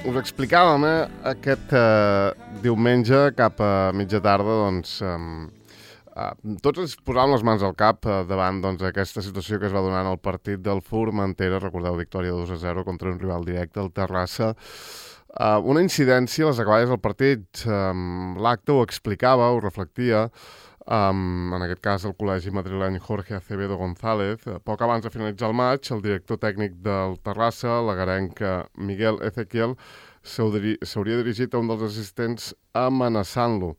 us explicàvem aquest diumenge cap a mitja tarda, doncs, tots ens posàvem les mans al cap davant aquesta situació que es va donar en el partit del Formentera, recordeu, victòria 2-0 contra un rival directe, el Terrassa. Una incidència, les acaballes del partit, l'acte ho explicava, ho reflectia, en aquest cas el col·legi madrileny Jorge Acevedo González. Poc abans de finalitzar el maig, el director tècnic del Terrassa, l'agarenc Miguel Ezequiel, s'hauria dirigit a un dels assistents amenaçant-lo.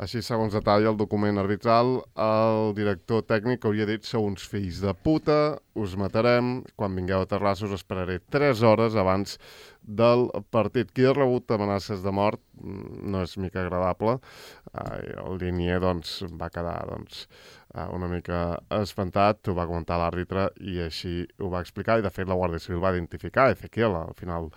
Així, segons detalla el document arbitral, el director tècnic hauria dit: sou uns fills de puta, us matarem, quan vingueu a Terrassa us esperaré 3 hores abans del partit. Qui ha rebut amenaces de mort no és mica agradable. El linier va quedar una mica espantat, ho va comentar l'àrbitre i així ho va explicar, i de fet la Guàrdia Civil va identificar Ezequiel al final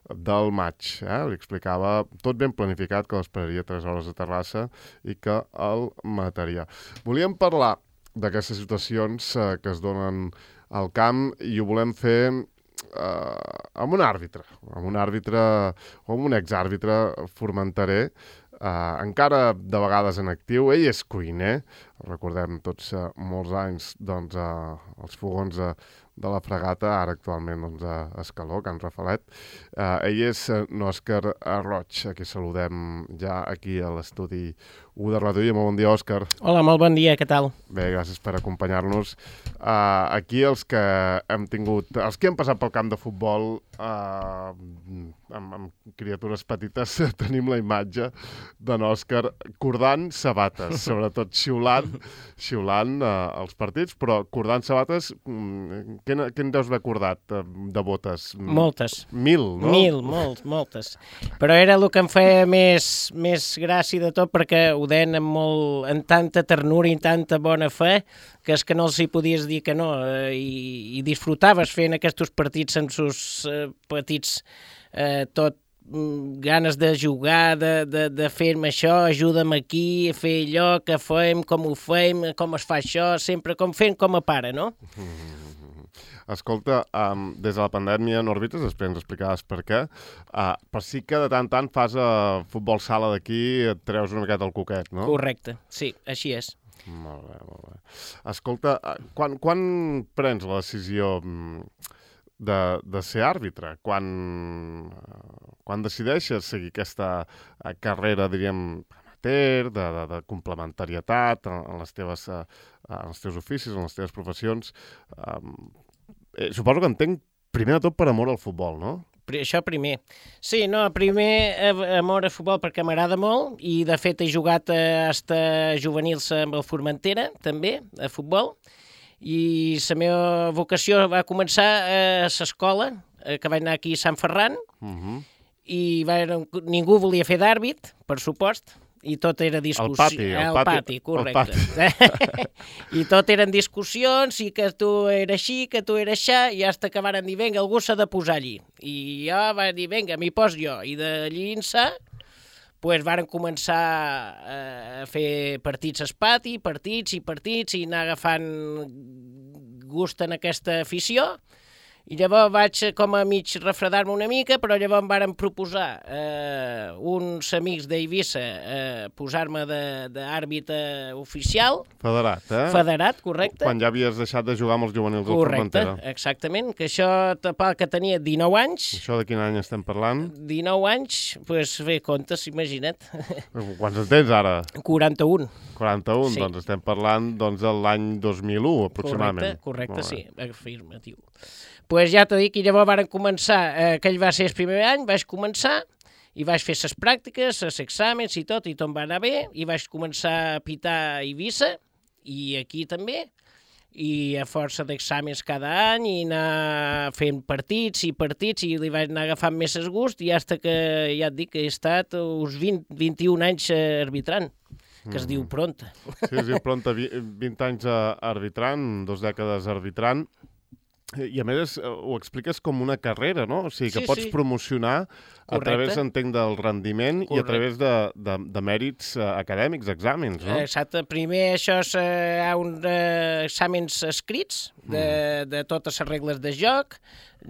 del maig. Li explicava tot ben planificat, que l'esperaria 3 hores a Terrassa i que el mataria. Volíem parlar d'aquestes situacions que es donen al camp i ho volem fer amb un àrbitre o amb un exàrbitre formenterer, encara de vegades en actiu. Ell és cuiner, recordem tots molts anys els fogons de la Fragata, ara actualment a Escaló, Can Rafalet. Ell és Òscar Roig, a qui saludem ja aquí a l'estudi 1 de Ràdio. Molt bon dia, Òscar. Hola, molt bon dia, què tal? Bé, gràcies per acompanyar-nos. Aquí els que hem passat pel camp de futbol amb criatures petites, tenim la imatge d'en Òscar cordant sabates, sobretot xiulant els partits, però cordant sabates, què en deus haver cordat de botes? Moltes. 1000, no? 1000, moltes. Però era el que em feia més gràcia de tot, perquè ho deien amb tanta ternura i tanta bona fe, que és que no els hi podies dir que no, i disfrutaves fent aquests partits amb sus petits tot ganes de jugar, de fer-me això, ajuda'm aquí, a fer allò, que fem, com ho fem, com es fa això, sempre fent com a pare, no? Escolta, des de la pandèmia no arbitres, després ens explicaves per què, però sí que de tant en tant fas futbol sala d'aquí, et treus una miqueta el coquet, no? Correcte, sí, així és. Molt bé. Escolta, quan prens la decisió de ser àrbitre? Quan decideixes seguir aquesta carrera, diríem, amateur, de complementarietat en els teus oficis, en les teves professions? Suposo que entenc primer de tot per amor al futbol, no? Això primer. Sí, no, primer amor al futbol perquè m'agrada molt, i de fet he jugat fins juvenils amb el Formentera, també, a futbol, i la meva vocació va començar a l'escola, que vaig anar aquí a Sant Ferran, i ningú volia fer d'àrbit, per supost, i tot era discussió. El pati, correcte. I tot eren discussions, i que tu era així, que tu era aixà, i fins que van dir, vinga, algú s'ha de posar allí. I jo vaig dir, vinga, m'hi pos jo. I d'allí ençà, varen començar a fer partits al pati, partits, i anar agafant gust en aquesta afició. I llavors vaig com a mig refredar-me una mica, però llavors em varen proposar uns amics d'Eivissa posar-me d'àrbitre oficial. Federat, eh? Federat, correcte. Quan ja havies deixat de jugar amb els juvenils del Formentera. Correcte, exactament, que això que tenia 19 anys. Això de quin any estem parlant? 19 anys, doncs bé, comptes, imagina't. Quants en tens ara? 41. 41, sí. Doncs estem parlant de l'any 2001, aproximadament. Correcte, sí, afirmatiu. Doncs ja t'ho dic, i llavors varen començar, aquell va ser el primer any, vaig començar, i vaig fer les pràctiques, els exàmens i tot em va anar bé, i vaig començar a pitar a Eivissa, i aquí també, i a força d'exàmens cada any, i anar fent partits, i li vaig anar agafant més el gust, i fins que, ja et dic, he estat uns 21 anys arbitrant, que es diu pronta. Sí, es diu pronta, 20 anys arbitrant, 2 dècades arbitrant. I a més ho expliques com una carrera, no? O sigui, que pots promocionar a través, entenc, del rendiment i a través de mèrits acadèmics, exàmens, no? Exacte. Primer això hi ha uns exàmens escrits de totes les regles de joc,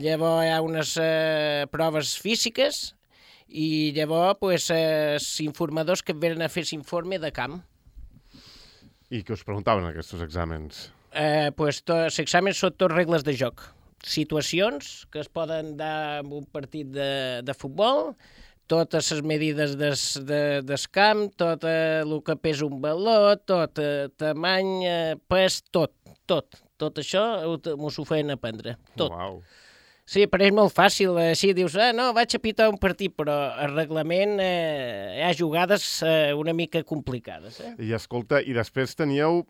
llavors hi ha unes proves físiques i llavors pues, els informadors que venen a fer l'informe de camp. I què us preguntaven aquests exàmens? Pues, els exàmens són tots regles de joc. Situacions que es poden dar en un partit de futbol, totes les medides del camp, tot el que pesa un baló, tot tamany, pes, tot. Tot això m'ho feien aprendre, tot. Uau. Sí, però és molt fàcil, així dius, no, vaig a pitar un partit, però el reglament hi ha jugades una mica complicades. I escolta, i després teníeu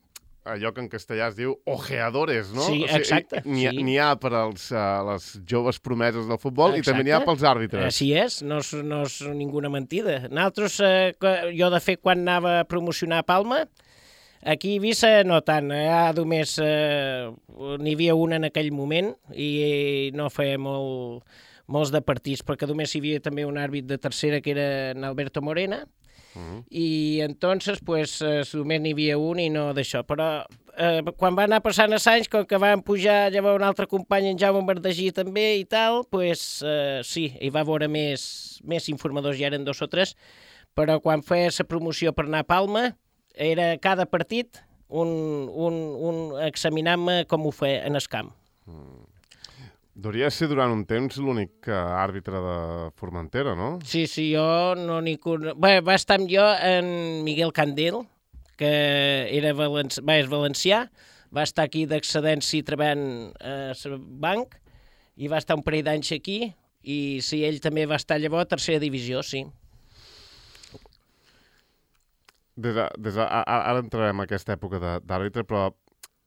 allò que en castellà es diu ojeadores, no? Sí, exacte. N'hi ha per als les joves promeses del futbol i també n'hi ha pels àrbitres. Així és, no és ninguna mentida. Nosaltres, jo de fet, quan anava a promocionar a Palma, aquí a Eivissa no tant, només n'hi havia una en aquell moment i no feia molts de partits, perquè només hi havia també un àrbit de tercera que era en Alberto Morena, i entonces pues, només n'hi havia un i no d'això, però quan va anar passant els anys, com que van pujar llavors un altre company, en Jaume Verdagí també i tal, pues, sí, hi va haver més informadors, ja eren 2 o 3, però quan feia la promoció per anar a Palma, era cada partit un examinar-me com ho feia en el camp. Hauria de ser durant un temps l'únic àrbitre de Formentera, no? Sí, jo no n'hi conec. Bé, va estar amb jo en Miguel Candel, que és valencià, va estar aquí d'excedència treballant a banc, i va estar un parell d'anys aquí, i sí, ell també va estar llavors a tercera divisió, sí. Ara entrarem en aquesta època d'àrbitre, però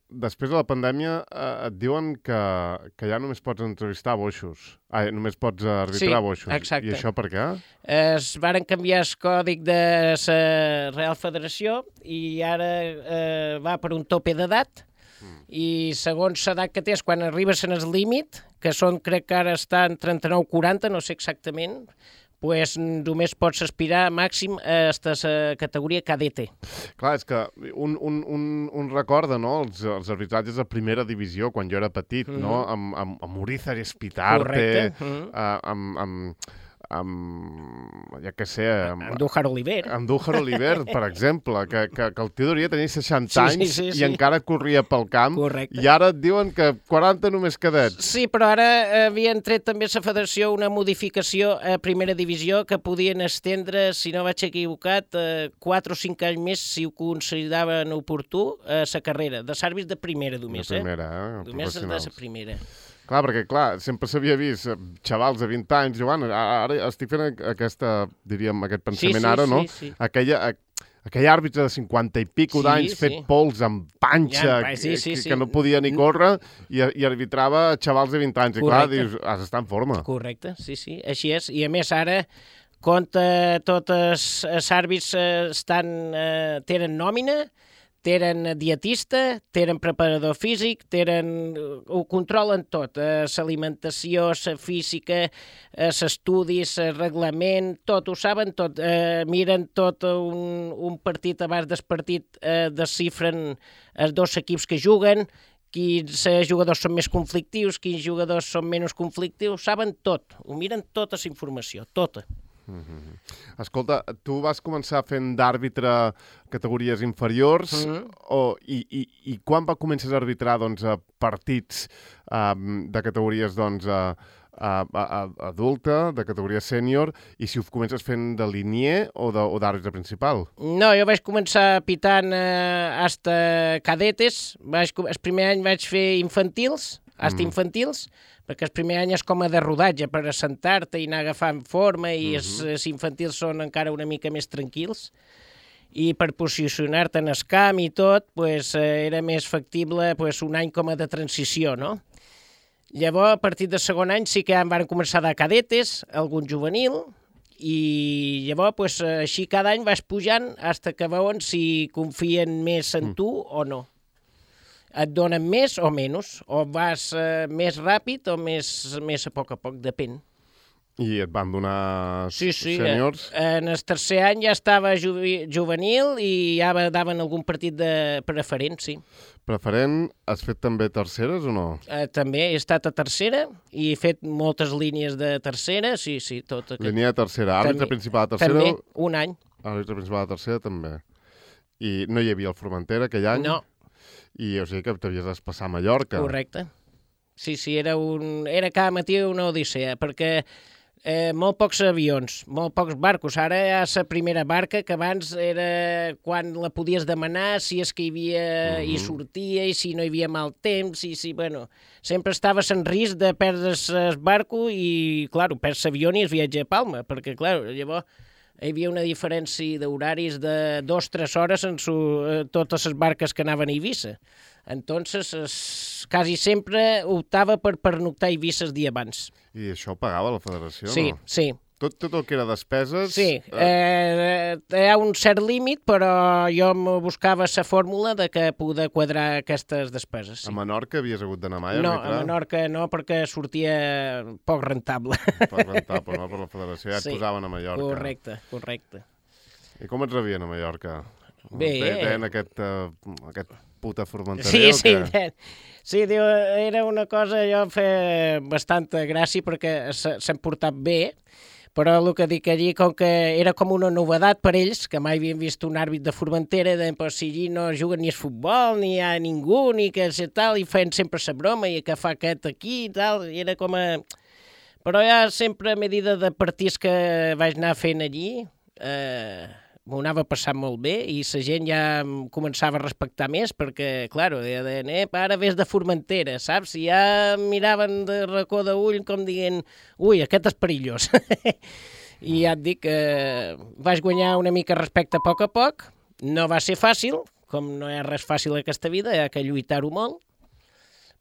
després de la pandèmia et diuen que ja només pots entrevistar boixos. Només pots arbitrar boixos. Exacte. I això per què? Es varen canviar el còdic de la Real Federació i ara va per un tope d'edat i segons l'edat que tens, quan arribes en el límit, que crec que ara estan 39-40, no sé exactament, pues només pots aspirar màxim a la categoria cadete. Clar, és que un recorda, no?, els arbitratges de primera divisió, quan jo era petit, no?, amb Urizar Espitarte, ja que sé... Amb Dújar Oliver. Amb Dújar Oliver, per exemple, que el tio hauria tenir 60 anys i encara corria pel camp. Correcte. I ara et diuen que 40 només cadets. Sí, però ara havien tret també a la federació una modificació a primera divisió que podien estendre, si no vaig equivocat, 4 o 5 anys més, si ho consideraven oportú, a la carrera, de àrbits de primera només. De primera, només de professionals. la primera. Clar, perquè, sempre s'havia vist xavals de 20 anys, Joan, ara estic fent aquest pensament ara, no? Sí. Aquell àrbitre de 50 i pico d'anys fet pols amb panxa, que no podia ni córrer, i arbitrava xavals de 20 anys. I clar, dius, has d'estar en forma. Correcte, sí, així és. I a més ara, tots els àrbits tenen nòmina, tenen dietista, tenen preparador físic, ho controlen tot, l'alimentació, la física, els estudis, el reglament, tot, ho saben tot, miren tot un partit abans del partit, descifren els 2 equips que juguen, quins jugadors són més conflictius, quins jugadors són menys conflictius, saben tot, ho miren tota la informació, tota. Escolta, tu vas començar fent d'àrbitre categories inferiors i quan va començar a arbitrar partits de categories adulta, de categoria sènior, i si ho comences fent de linier o d'àrbitre principal? No, jo vaig començar pitant hasta cadetes. El primer any vaig fer infantils, infantils, perquè el primer any és com a de rodatge per assentar-te i anar agafant forma i els infantils són encara una mica més tranquils i per posicionar-te en el camp i tot era més factible un any com a de transició, no? Llavors, a partir del segon any sí que ja van començar de cadetes, algun juvenil, i llavors així cada any vas pujant fins que veuen si confien més en tu o no. Et donen més o menys, o vas més ràpid o més a poc, depèn. I et van donar Sí, sèniors? en el tercer any ja estava juvenil i ja daven algun partit de preferent, sí. Preferent, has fet també terceres o no? També he estat a tercera i he fet moltes línies de tercera, sí, tot aquest. Línia de tercera, àrbitre També- principal de tercera? També, un any. Àrbitre principal de tercera també. I no hi havia el Formentera aquell any? No, I o sigui que t'havies de passar a Mallorca. correcte. Sí, era cada matí una odissea, perquè molt pocs avions, molt pocs barcos. Ara hi ha la primera barca, que abans era quan la podies demanar, si és que hi havia i sortia, i si no hi havia mal temps, bueno, sempre estaves en risc de perdre's el barco i, clar, perds l'avió i es viatge a Palma, perquè, clar, llavors hi havia una diferència d'horaris de 2-3 hores en totes les barques que anaven a Eivissa. Entonces, quasi sempre optava per pernoctar a Eivissa el dia abans. I això ho pagava la federació, Sí, no? sí. Tot el que era despeses... Sí, hi ha un cert límit, però jo em buscava la fórmula de que poder quadrar aquestes despeses. Sí. A Menorca havies hagut d'anar mai a No, arbitrar? a Menorca no, perquè sortia poc rentable. Per rentar, però no per la federació. Ja et Sí, posaven a Mallorca. Correcte. I com et rebien a Mallorca? Bé. Deien aquest puta formenterer Sí, o què? sí, diu, era una cosa, jo em feia bastanta gràcia perquè s'han portat bé, però el que dic allí, com que era com una novedat per ells, que mai havien vist un àrbit de Formentera, deien, però si allí no juguen ni a futbol, ni hi ha ningú, ni que sé tal, i feien sempre la broma, i que fa aquest aquí i tal, i era com a... Però ja sempre a medida de partits que vaig anar fent allí, m'ho anava passant molt bé i la gent ja em començava a respectar més perquè, clar, deien, ara ves de Formentera, saps? I ja em miraven de racó d'ull com dient, ui, aquest és perillós. I ja et dic que vaig guanyar una mica respecte a poc, no va ser fàcil, com no hi ha res fàcil a aquesta vida, hi ha que lluitar-ho molt,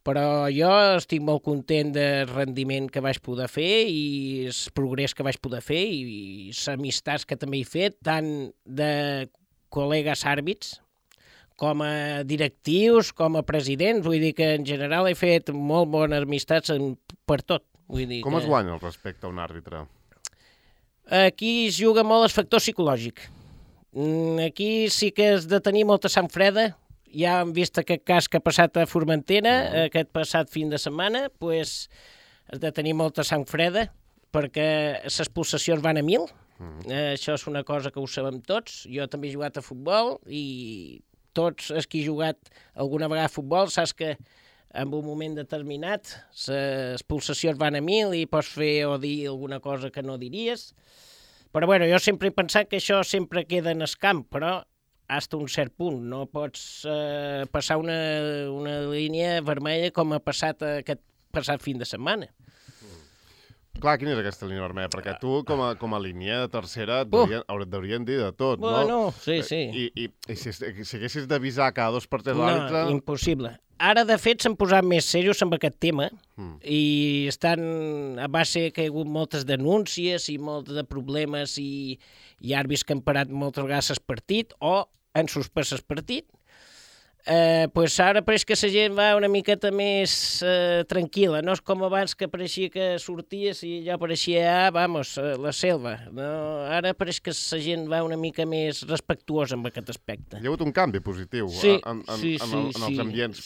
però jo estic molt content del rendiment que vaig poder fer i el progrés que vaig poder fer i les amistats que també he fet, tant de col·legues àrbits com a directius, com a presidents. Vull dir que en general he fet molt bones amistats per tot. Vull dir Com es guanya el respecte a un àrbitre? Aquí es juga molt el factor psicològic. Aquí sí que has de tenir molta sang freda. Ja hem vist aquest cas que ha passat a Formentera, aquest passat fin de setmana, doncs has de tenir molta sang freda perquè les pulsacions van a 1000. Això és una cosa que ho sabem tots. Jo també he jugat a futbol i tots els que he jugat alguna vegada a futbol saps que en un moment determinat les pulsacions van a 1000 i pots fer o dir alguna cosa que no diries. Però bueno, jo sempre he pensat que això sempre queda en el camp, però fins a un cert punt. No pots passar una línia vermella com ha passat aquest passat fin de setmana. Clar, quina és aquesta línia vermella? Perquè tu, com a línia de tercera, et deurien dir de tot, no? Bueno, sí. I si haguessis d'avisar cada 2 per 3 l'àrbitre... No, impossible. Ara, de fet, s'han posat més serios amb aquest tema i estan a base que hi ha hagut moltes denúncies i molts de problemes i àrbits que han parat moltes vegades el partit o han suspès el partit. Pues ara pareix que la gent va una miqueta més tranquil·la, no és com abans que pareixia que sorties i ja pareixia, la selva. No, ara pareix que la gent va una mica més respectuosa amb aquest aspecte. Hi ha hagut un canvi positiu en els ambients,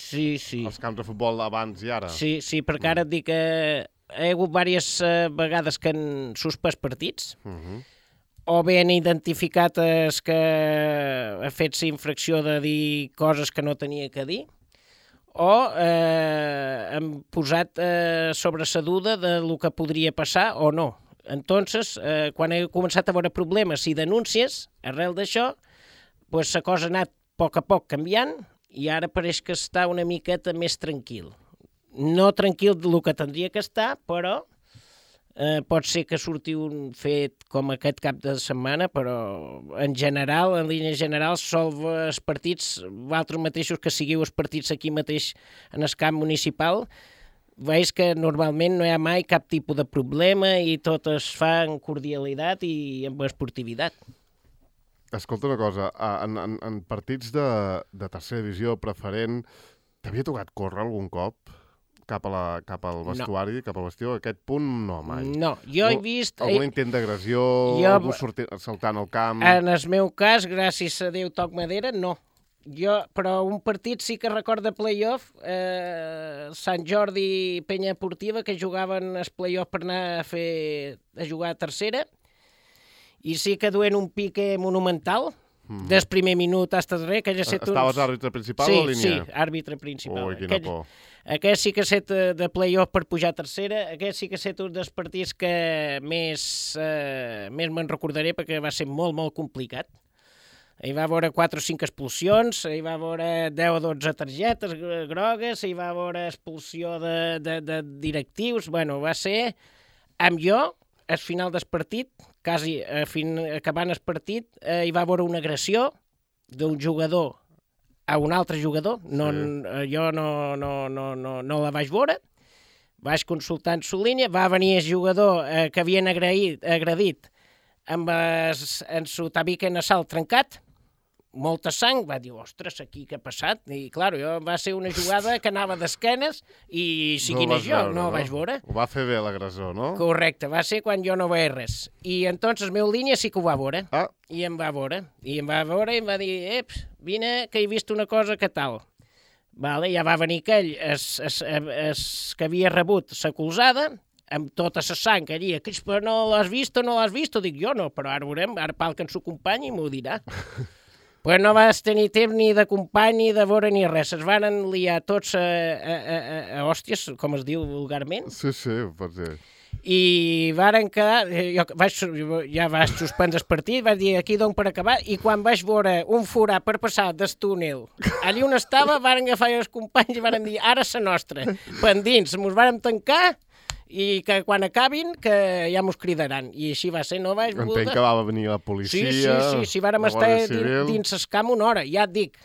als camps de futbol abans i ara. Sí, perquè ara et dic que hi ha hagut diverses vegades que han suspès partits, o bé han identificat que ha fet la infracció de dir coses que no tenia que dir, o han posat sobre la duda de lo que podria passar o no. Entonces, quan he començat a veure problemes i denúncies, arrel d'això, pues la cosa ha anat a poc canviant i ara pareix que està una miqueta més tranquil. No tranquil del que tindria que estar, però pot ser que surti un fet com aquest cap de setmana, però en general, en línia general, els partits, vosaltres mateixos que sigueu els partits aquí mateix en el camp municipal, veus que normalment no hi ha mai cap tipus de problema i tot es fa amb cordialitat i amb esportivitat. Escolta una cosa, en partits de tercera divisió preferent, t'havia tocat córrer algun cop? cap al vestuari, cap al vestiu, aquest punt no, mai. No, jo he vist... Algun intent d'agressió, algú saltant al camp... En el meu cas, gràcies a Déu toc madera, no. Però un partit sí que recorda playoff, Sant Jordi Penya Esportiva, que jugaven el playoff per anar a jugar a tercera, i sí que duen un pique monumental, des primer minut fins al darrer. Estaves àrbitre principal o línia? Sí, àrbitre principal. Ui, quina por. Aquest sí que ha set de playoff per pujar a tercera, aquest sí que ha set un dels partits que més me'n recordaré, perquè va ser molt, molt complicat. Hi va haver 4 o 5 expulsions, hi va haver 10 o 12 targetes grogues, hi va haver expulsió de directius. Bueno, va ser amb jo, al final del partit, quasi acabant el partit, hi va haver una agressió d'un jugador a un altre jugador. Jo no la vaig veure. Vaig consultar en su línia, va venir el jugador que havien agredit amb el su tabique nasal trencat, molta sang, va dir, ostres, aquí què ha passat? I, clar, va ser una jugada que anava d'esquenes i siguin jo, no ho vaig veure. Ho va fer bé l'agressor, no? Correcte, va ser quan jo no veia res. I entonces el meu línia sí que ho va veure. I em va veure. I em va dir, vine, que he vist una cosa que tal. Vale, ja va venir aquell, que havia rebut la colzada, amb tota la sang allí, però no l'has vist o no l'has vist? Dic, jo no, però ara veurem, ara pal que ens ho acompanyi i m'ho dirà. Però no vas tenir temps ni de company, ni de veure, ni res. Es van liar tots a hòsties, com es diu vulgarment. Sí, pot ser. I varen quedar... Ja vaig suspendre el partit, vaig dir, aquí dono per acabar, i quan vaig veure un forat per passar del túnel, allí on estava, varen agafar els companys i varen dir, ara és la nostra. Pendins, mos vàrem tancar, i que quan acabin, que ja mos cridaran. I així va ser, no vaig voler... Entenc que va venir la policia... Sí, vàrem estar dins el camp una hora. Ja et dic,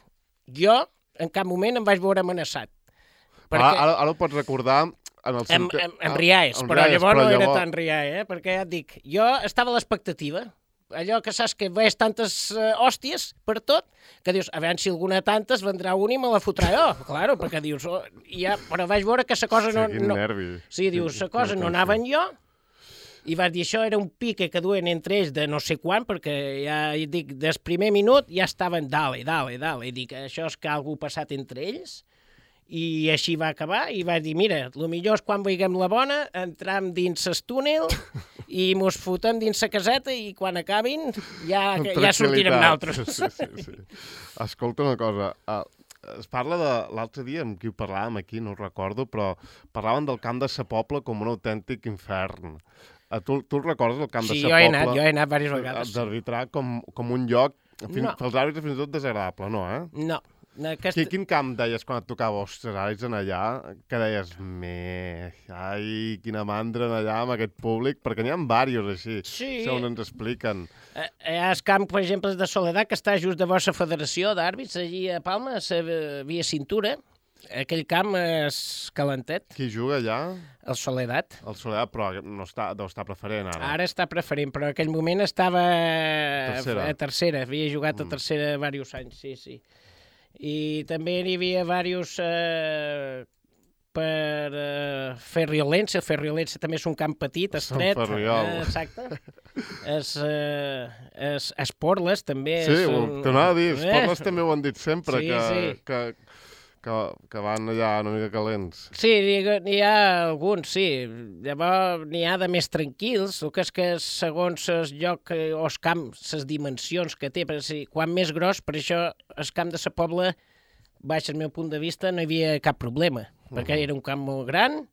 jo en cap moment em vaig veure amenaçat. Ara ho pots recordar... En riaes, però llavors no era tan riae, perquè ja et dic, jo estava a l'expectativa. Allò que saps que veus tantes hòsties per tot, que dius, a veure si alguna tantes vendrà una i me la fotrà jo. Claro, perquè dius, però vaig veure que la cosa no... Quin nervi. Sí, dius, la cosa no anava en jo, i vas dir, això era un pique que duen entre ells de no sé quan, perquè ja dic, des primer minut ja estaven dale, i dic, això és que algú ha passat entre ells, i així va acabar, i vaig dir, mira, el millor és quan veiguem la bona, entram dins el túnel i mos fotem dins la caseta i quan acabin ja sortirem nosaltres. Sí. Escolta una cosa, es parla de l'altre dia, amb qui ho parlàvem aquí, no ho recordo, però parlaven del camp de Sa Pobla com un autèntic infern. Tu recordes el camp de Sa Pobla? Jo he anat diverses vegades. D'arbitrar com un lloc, pels àrbitres fins i tot desagradable, no, eh? No. Quin camp deies quan et tocava, ostres, ara ets en allà, que deies, quina mandra en allà amb aquest públic, perquè n'hi ha diversos així, segons ens expliquen. Hi ha el camp, per exemple, de Soledat, que està just davant la Federació d'Àrbits, allí a Palma, a Via Cintura. Aquell camp és calentet. Qui juga allà? El Soledat. El Soledat, però no deu estar preferent ara. Ara està preferent, però en aquell moment estava a tercera. Havia jugat a tercera diversos anys, sí. I també hi havia diversos per Ferriolens. Ferriolens també és un camp petit, estret. Sant Ferriol. Exacte. Esporles també. Sí, t'anava a dir, Esporles també ho han dit sempre, que van allà una mica calents. Sí, n'hi ha alguns, sí. Llavors n'hi ha de més tranquils, el que és que segons el lloc o el camp, les dimensions que té, quan més gros, per això el camp de Sa Pobla, baix el meu punt de vista, no hi havia cap problema, perquè era un camp molt gran,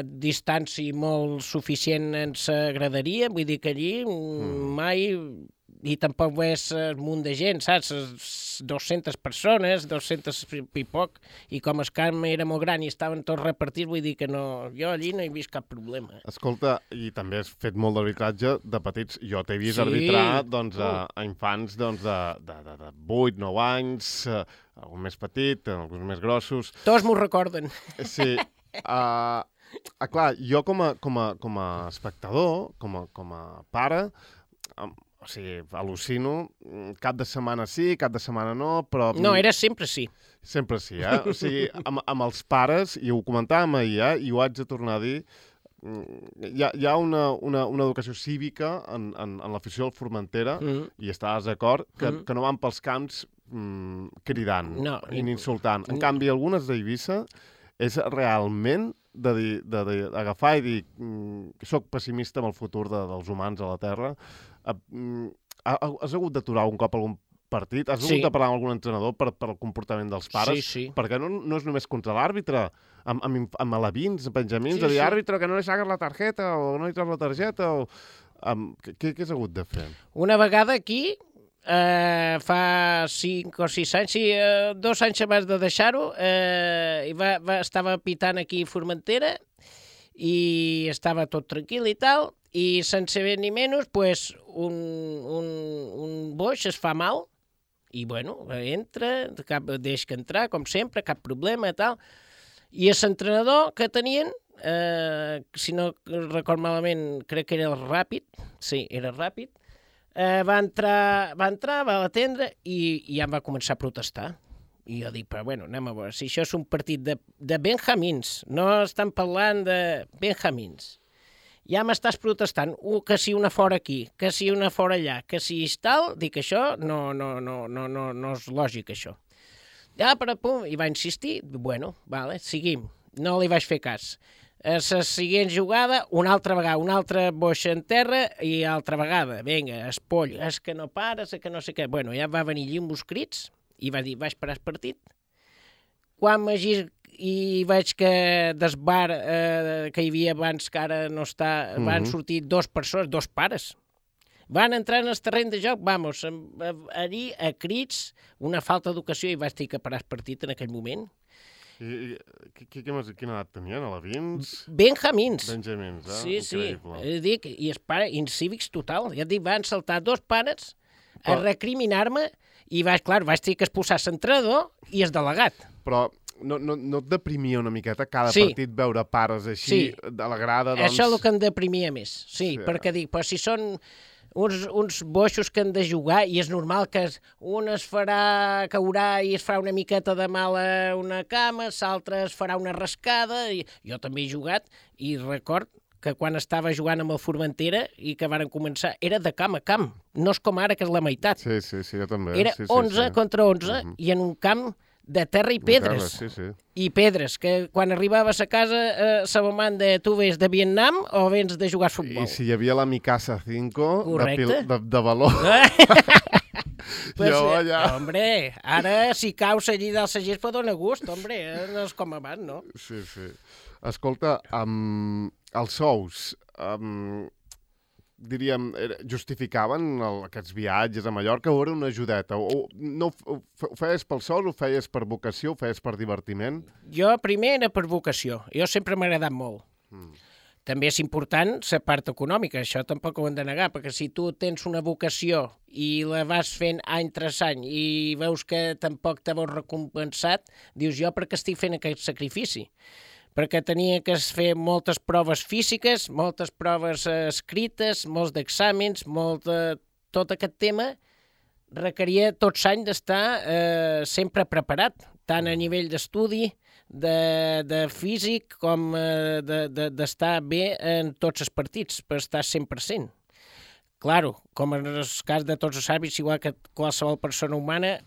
distància molt suficient en la graderia, vull dir que allí mai... I tampoc és un munt de gent, saps? 200 persones, 200 i poc, i com el camp era molt gran i estaven tots repartits, vull dir que no, jo allí no he vist cap problema. Escolta, i també has fet molt d'arbitratge de petits. Jo t'he vist arbitrar a infants de 8, 9 anys, algun més petit, alguns més grossos. Tots m'ho recorden. Sí. Clar, jo com a espectador, com a pare, o sigui, al·lucino, cap de setmana sí, cap de setmana no, però... No, era sempre sí. Sempre sí, O sigui, amb els pares, i ho comentàvem ahir, i ho haig de tornar a dir, hi ha una educació cívica en l'afició al Formentera, i estàs d'acord, que no van pels camps cridant ni insultant. En canvi, algunes d'Eivissa és realment d'agafar i dir que soc pessimista amb el futur dels humans a la Terra. Has hagut d'aturar un cop algun partit? Has hagut de parlar amb algun entrenador per el comportament dels pares? Sí. Perquè no és només contra l'àrbitre, amb alevins, benjamins, de dir, àrbitre, que no li saques la targeta, o no li treus la targeta, o... Què has hagut de fer? Una vegada aquí, fa 5 o 6 anys, 2 anys abans de deixar-ho, estava pitant aquí a Formentera i estava tot tranquil i tal, i sense més ni menys, pues, un boix es fa mal, i bueno, entra, deix que entrar, com sempre, cap problema i tal, i l'entrenador que tenien, si no record malament, crec que era el Ràpid, sí, era Ràpid, va entrar, va atendre i ja em va començar a protestar. I jo dic, però bueno, anem a veure, si això és un partit de benjamins, no estan parlant de benjamins, ja m'estàs protestant, que si una fora aquí, que si una fora allà, que si és tal, dic, això no és lògic, això. Ja, però pum, i va insistir, bueno, vale, seguim, no li vaig fer cas. La següent jugada, una altra vegada, una altra boixa en terra i altra vegada, vinga, espoll, és que no pares, és que no sé què. Bueno, ja va venir allí amb uns crits i va dir, vaig parar el partit. Quan m'agir i veig que del bar que hi havia abans, que ara no està, van sortir 2 persones, 2 pares. Van entrar en el terreny de joc, vamos, allí a crits, una falta d'educació i vaig dir que parar el partit en aquell moment. Quina edat tenien, alevins? Benjamins. Benjamins, Sí, increïble. Sí. Dic, i els pares, incívics total. Ja et dic, van saltar 2 pares a recriminar-me i vaig dir que expulsar l'entrenador i el delegat. Però no et deprimia una miqueta cada partit veure pares així de la grada? Doncs... Això és el que em deprimia més, sí. Perquè dic, però si són uns boixos que han de jugar i és normal que un caurà i es farà una miqueta de mal a una cama, l'altre es farà una rascada. Jo també he jugat i record que quan estava jugant amb el Formentera i que varen començar, era de camp a camp. No és com ara, que és la meitat. Sí, jo també. Era 11 contra 11 i en un camp de terra i pedres. I pedres, que quan arribaves a casa se manda, tu vens de Vietnam o vens de jugar a futbol? I si hi havia la Mikasa 5 de valor... Pues, hombre, ara si caus allí del Sagís pot donar gust, hombre, no és com abans, no? Sí. Escolta, els sous, diríem, justificaven aquests viatges a Mallorca o era una ajudeta? Ho feies pel sou, ho feies per vocació, ho feies per divertiment? Jo primer era per vocació. Jo sempre m'ha agradat molt. També és important la part econòmica, això tampoc ho hem de negar, perquè si tu tens una vocació i la vas fent any tras any i veus que tampoc te veus recompensat, dius, jo per què estic fent aquest sacrifici? Perquè tenia que fer moltes proves físiques, moltes proves escrites, molts d'exàmens, tot aquest tema requeria tot l'any d'estar sempre preparat, tant a nivell d'estudi, de físic, com d'estar bé en tots els partits, per estar 100%. Claro, com en el cas de tots els àrbits, igual que qualsevol persona humana,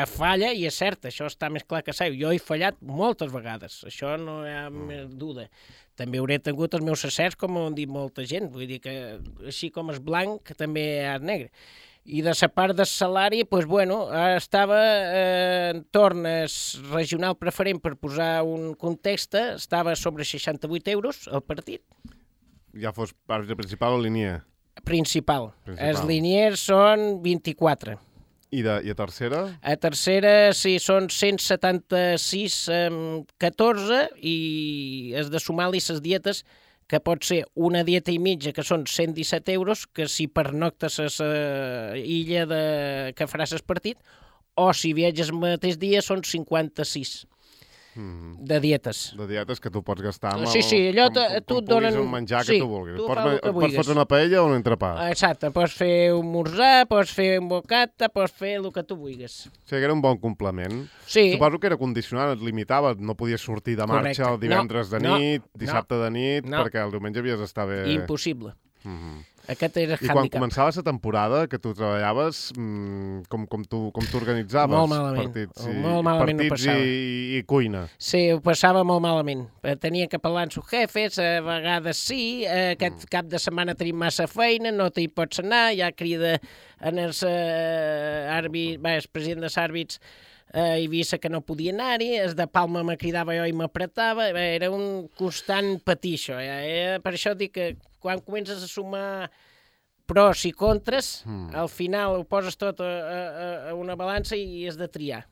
falla i és cert, això està més clar que sai. Jo he fallat moltes vegades, això no hi ha més duda. També hauré tingut els meus acerts, com ho han dit molta gent, vull dir que així com és blanc, que també és negre. I de la part del salari, doncs, bueno, estava en torn regional preferent, per posar un context, estava sobre 68 euros el partit. Ja fos àrbitre principal o linier? Principal. Els liniers són 24. I a tercera? A tercera, sí, són 176,14 i has de sumar-li les dietes, que pot ser una dieta i mitja, que són 117 euros, que si pernoctes a l'illa que faràs el partit, o si viatges el mateix dia són 56. de dietes. De dietes que tu pots gastar amb Sí, allò tu et donen... un menjar que tu vulguis. Pots fotre una paella o un entrepà. Exacte, pots fer un morzar, pots fer un bocata, pots fer el que tu vulguis. O sigui, era un bon complement. Sí. Suposo que era condicionat, et limitava, no podies sortir de marxa el divendres de nit, dissabte de nit, perquè el diumenge havies d'estar bé... Impossible. Aquest era el handicap. I quan començava la temporada que tu treballaves, com tu organitzaves? Molt malament. Molt malament ho passava. I cuina. Sí, ho passava molt malament. Tenia que parlar amb sus jefes, a vegades sí, aquest cap de setmana tenim massa feina, no t'hi pots anar, ja crida en el president dels àrbits a Eivissa que no podia anar-hi, el de Palma me cridava jo i m'apretava, era un constant patir això. Per això dic que quan comences a sumar pros i contres, al final ho poses tot a una balança i has de triar.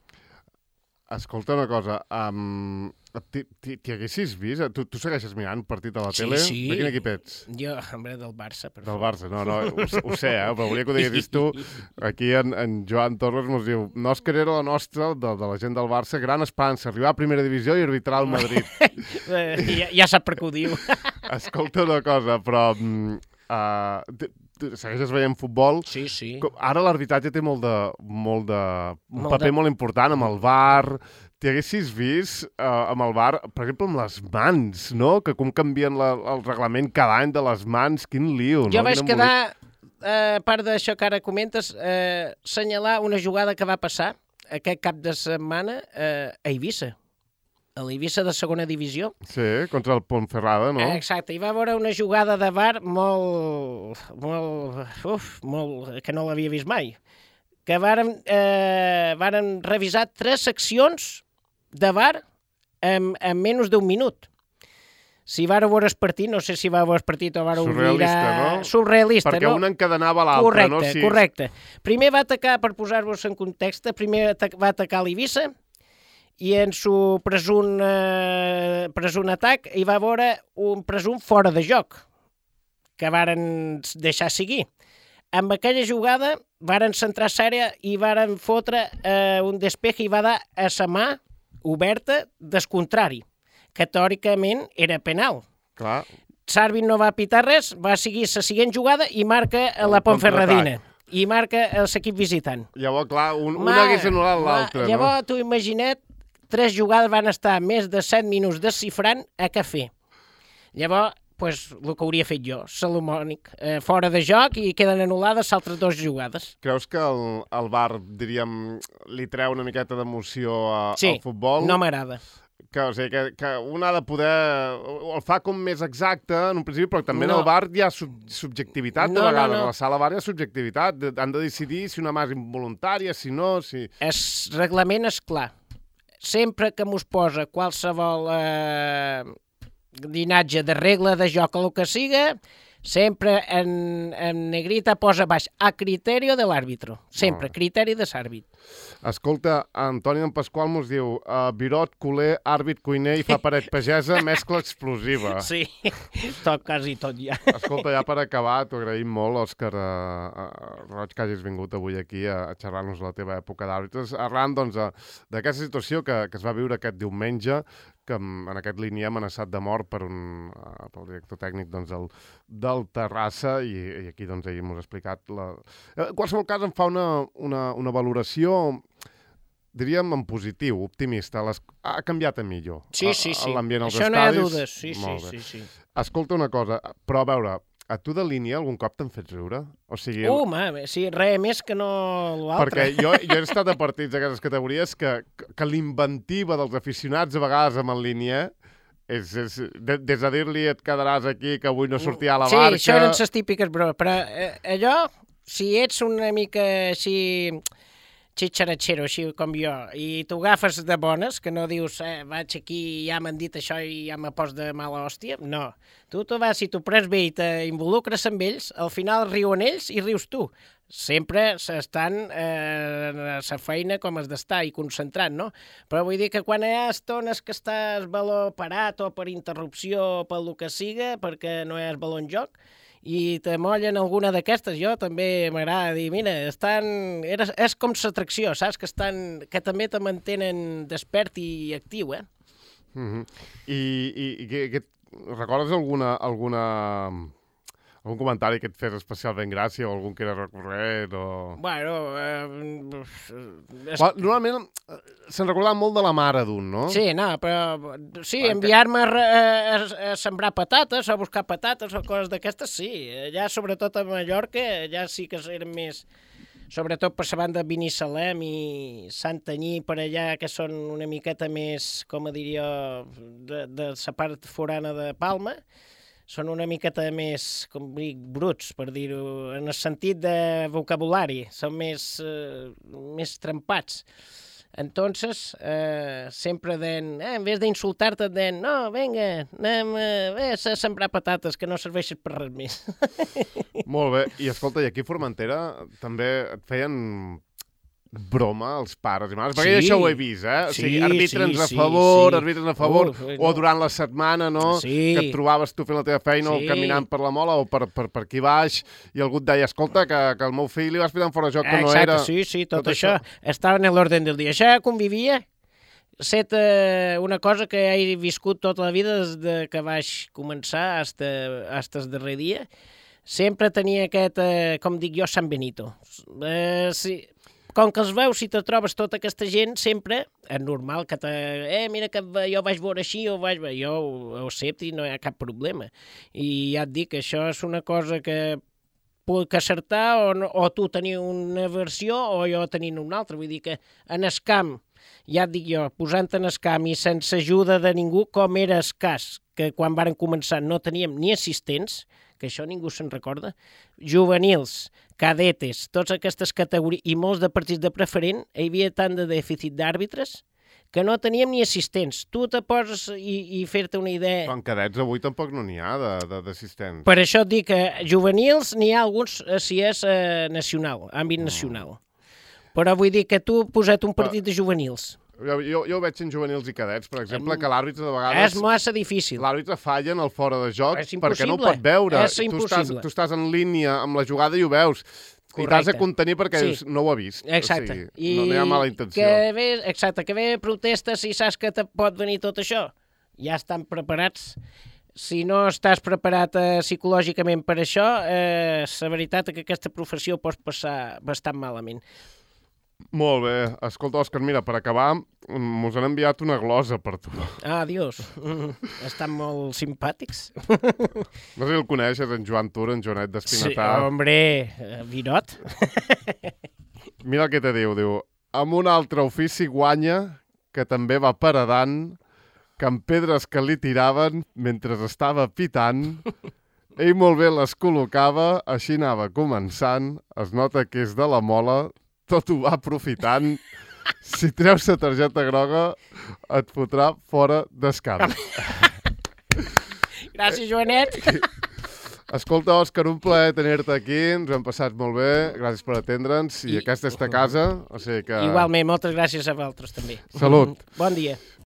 Escolta una cosa, t'hi haguessis vist? Tu segueixes mirant partit a la tele? Sí. De quin equip ets? Jo, hombre, del Barça. Del Barça, no, ho sé, però volia que ho diguessis tu. Aquí en Joan Torres ens diu, Òscar era la nostra, de la gent del Barça, gran esperança, arribar a primera divisió i arbitrar al Madrid. Ja sap per què ho diu. Escolta una cosa, però... segueixes veient futbol. Sí. Ara l'arbitratge té un paper molt important amb el VAR. T'hi haguessis vist amb el VAR, per exemple, amb les mans, no? Que com canvien el reglament cada any de les mans, quin lío, no? Jo vaig quedar, a part d'això que ara comentes, senyalar una jugada que va passar aquest cap de setmana a Eivissa. A l'Eivissa de segona divisió. Sí, contra el Ponferrada, no? Exacte, hi va haver una jugada de VAR molt, que no l'havia vist mai. Que varen revisar 3 seccions de VAR en menys d'un minut. Si vareu veure el partit, no sé si vareu veure el partit o vareu mirar... Surrealista, no? Perquè un encadenava l'altre, no? Correcte. Primer va atacar, per posar-vos en context, va atacar l'Eivissa, i en su presumpte atac hi va haver un presumpte fora de joc, que varen deixar seguir. Amb aquella jugada varen centrar l'àrea i varen fotre un despeje i va dar a la mà oberta del contrari, que teòricament era penal. Clar. L'àrbit no va pitar res, va seguir la següent jugada i marca la Ponferradina. I marca l'equip visitant. Llavors, clar, un hagués anul·lat l'altre, no? Llavors, tu imagina't, 3 jugades van estar més de 7 minuts desxifrant a què fer. Llavors, el que hauria fet jo, Salomònic, fora de joc i queden anul·lades les altres 2 jugades. Creus que el VAR, diríem, li treu una miqueta d'emoció al futbol? Sí, no m'agrada. O sigui, que un ha de poder... El fa com més exacte, en un principi, però també en el VAR hi ha subjectivitat de vegades. A la sala VAR hi ha subjectivitat. Han de decidir si una mà és involuntària, si no... El reglament és clar. Sempre que mos posa qualsevol dinatge de regla de joc o el que siga, sempre en negrita posa baix a criteri de l'àrbitro. Sempre, criteri de l'àrbit. Escolta, Antoni en Pasqual mos diu Virot, culer, àrbit, cuiner i fa paret pagesa, mescla explosiva. Sí, quasi tot ja. Escolta, ja per acabar, t'ho agraïm molt, Òscar Roig, que hagis vingut avui aquí a xerrar-nos la teva època d'àrbitres. Arran, doncs, d'aquesta situació que es va viure aquest diumenge, que en aquest línia amenaçat de mort pel director tècnic del Terrassa, i aquí doncs ahir m'ho has explicat. En qualsevol cas em fa una valoració, diríem, en positiu, optimista. Ha canviat a millor l'ambient als estadis. Això no hi ha dudes, sí. Escolta una cosa, però a veure, a tu de línia algun cop t'han fet riure? O sigui... sí, res més que no l'altre. Perquè jo he estat a partits d'aquestes categories que l'inventiva dels aficionats a vegades amb en línia és des de dir-li et quedaràs aquí, que avui no sortirà a la barca... Sí, això eren les típiques bromes, però allò, si ets una mica així xitxaratxero, així com jo, i t'ho agafes de bones, que no dius, vaig aquí i ja m'han dit això i ja me pos de mala hòstia, no. Tu vas, si t'ho prens bé i t'involucres amb ells, al final riuen ells i rius tu. Sempre s'estan a la feina com has d'estar i concentrant, no? Però vull dir que quan hi ha estones que estàs baló parat o per interrupció o pel que siga, perquè no hi ha baló en joc, i te mollen alguna d'aquestes, jo també m'agrada dir, mira, és com l'atracció, saps? Que també te mantenen despert i actiu, I recordes algun comentari que et fes especialment gràcia o algun que era recurrent o... Bueno... Normalment se'n recordava molt de la mare d'un, no? Sí, no, però... Sí, enviar-me a sembrar patates, a buscar patates o coses d'aquestes, sí. Allà, sobretot a Mallorca, ja sí que eren més... Sobretot per la banda de Binissalem i Santanyí, per allà, que són una miqueta més, com diria, de la part forana de Palma, són una miqueta més, com dic, bruts, per dir-ho, en el sentit de vocabulari, són més trempats. Entonces, sempre en vez d'insultar-te, no, vinga, anem a sembrar patates, que no serveixen per res més. Molt bé. I escolta, i aquí a Formentera també et feien broma els pares i mares? Perquè jo això ho he vist, eh? O sigui, arbitre'ns a favor, o durant la setmana, no? Sí. Que et trobaves tu fent la teva feina o caminant per la mola o per aquí baix i algú et deia, escolta, que el meu fill li vas pitar fora de joc que no era... Sí, tot això estava en l'ordre del dia. Això convivia set una cosa que he viscut tota la vida des de que vaig començar fins el darrer dia. Sempre tenia aquest, com dic jo, Sant Benito. Sí. Com que els veus, si te trobes tota aquesta gent, sempre és normal que mira que jo vaig veure així, jo ho accepto i no hi ha cap problema. I ja et dic que això és una cosa que puc acertar o tu tenir una versió o jo tenir una altra. Vull dir que en el camp, ja et dic jo, posant en el camp i sense ajuda de ningú, com era el cas, que quan varen començar no teníem ni assistents, que això ningú se'n recorda, juvenils, cadetes, totes aquestes categories, i molts de partits de preferent, hi havia tant de dèficit d'àrbitres que no teníem ni assistents. Tu te poses i fer-te una idea... Però en cadets avui tampoc no n'hi ha d'assistents. Per això et dic que juvenils n'hi ha alguns si és nacional, àmbit nacional. Però vull dir que tu posa't un partit de juvenils. Jo ho veig en juvenils i cadets, per exemple, que l'àrbitre de vegades... És massa difícil. L'àrbitre falla en el fora de joc perquè no ho pot veure. És impossible. Tu estàs en línia amb la jugada i ho veus. Correcte. I t'has de contenir perquè no ho ha vist. Exacte. O sigui, no hi ha mala intenció. Que ve protestes i saps que te pot venir tot això. Ja estan preparats. Si no estàs preparat psicològicament per això, la veritat és que aquesta professió pots passar bastant malament. Molt bé. Escolta, Òscar, mira, per acabar, mos han enviat una glosa per tu. Ah, Dios. Estan molt simpàtics. No sé si el coneixes, en Joan Tur, en Joanet d'Espinatar. Sí, hombre, Virot. Mira el que te diu. Amb un altre ofici guanya, que també va paredant, que amb pedres que li tiraven mentre estava pitant, ell molt bé les col·locava, així anava començant, es nota que és de la mola, tot ho va aprofitant. Si treus la targeta groga, et fotrà fora d'escamp. Gràcies, Joanet. Escolta, Òscar, un plaer tenir-te aquí. Ens ho hem passat molt bé. Gràcies per atendre'ns. I aquesta és ta casa. O sigui que... Igualment, moltes gràcies a vosaltres també. Salut. Bon dia.